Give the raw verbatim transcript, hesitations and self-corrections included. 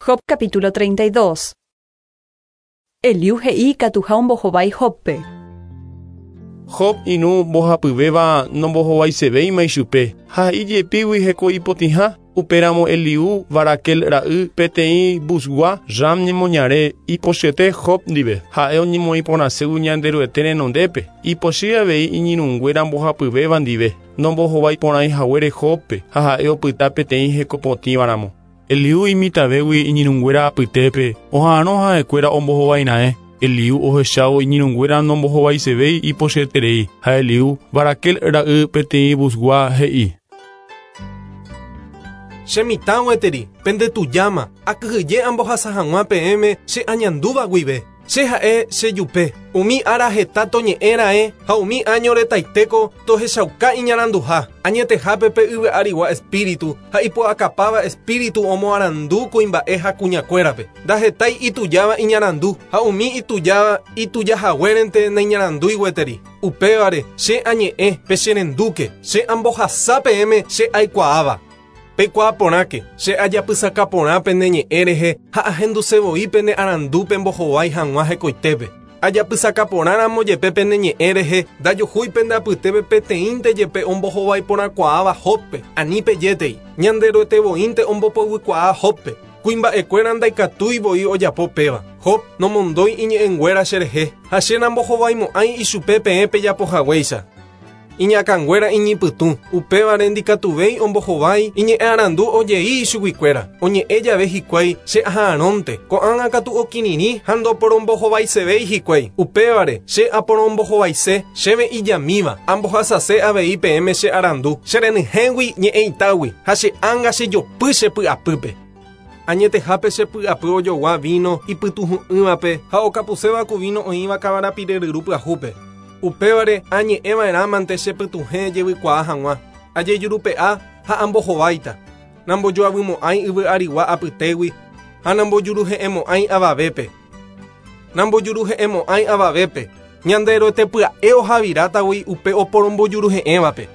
Job capítulo treinta y dos. Eliú he'i katuha ombohovái Jóbpe. Job irũ mbohapyvéva nombohovaisevéima ichupe ha ijepígui heko ipotĩha. Upéramo Eliú Barakel ra'y peteĩ Buzgua Ram ñemoñare ipochyete Job ndive. Ha'e oñemoĩporãségui Ñanderuete renondépe. Ipochy avei iñirũnguéra mbohapyvéva ndive. Nombohovaiporãihaguére Jóbpe ha ha'e opyta peteĩ hekopotĩvaramo. Eliú imitavégui iñirũnguéra apytépe oha'arõ ha'ekuéra ombohovaira'e. Eliú ohechávo iñirũnguéra nombohovaisevéi ipochyeterei ha Eliú Barakel ra'y peteĩ Buzgua he'i: Che mitã gueteri, pendetujama, akyhyje ambohasa hag̃ua peẽme che añandúva guive. Che ha'e chejupe, umi ára heta toñe'ẽra'e ha umi año retaitéko tohechauka iñaranduha. Añetehápe pe yvy arigua espíritu ha ipu'akapáva espíritu omoarandu kuimba'e ha kuñakuérape. Ndahetái itujáva iñarandu ha umi itujáva itujahaguérente naiñarandúi gueteri. Upévare che añe'ẽ pe cherendúke, che ambohasa peẽme che aikuaáva. Peikuaaporãke, che ajapysakaporã pene ñe'ẽ rehe ha ahendusevoi pene arandu mbohovái hag̃ua hekoitépe. Ajapysakaporãramo jepe pene ñe'ẽ rehe ndajuhúi pende apytépe peteĩnte jepe ombohovaiporãkuaáva Jóbpe, ani pejétei. Ñanderuetevoínte ombopovykuaa Jóbpe. Kuimba'ekuéra ndaikatúi voi ojapo péva. Job nomondói iñe'ẽnguéra cherehe ha che nambohovaimo'ãi ichupe peẽ pejapohaguéicha. Iñakãnguéra iñipytũ, upévare ndikatuvéi ombohovái iñe'ẽ arandu ojei ichuguikuéra. Oñe'ẽ jave hikuái che aha'arõnte, ko'ág̃a katu okirirĩ ha ndoporombohovaisevéi hikuái. Upévare che aporombohovaise chéve ijamíva, ambohasase avei peẽme che arandu, cherenyhẽgui ñe'ẽitágui ha che ánga chejopy chepy'apýpe. Añetehápe chepy'apy ojogua vino ipytuhũ'ỹvape ha okapuséva ku vino oĩva kavarapire ryru pyahúpe. Upévare añe'ẽva'erãmante chepytuhẽ jevykuaa hag̃ua, ajejurupe'a ha ambohováita. Nambojoavymo'ãi yvy arigua apytégui ha nambojuruhe'ẽmo'ãi avavépe. Nambojuruhe'ẽmo'ãi avavépe. Ñanderuete pya'e ohavirátagui upe oporombojuruhe'ẽvape.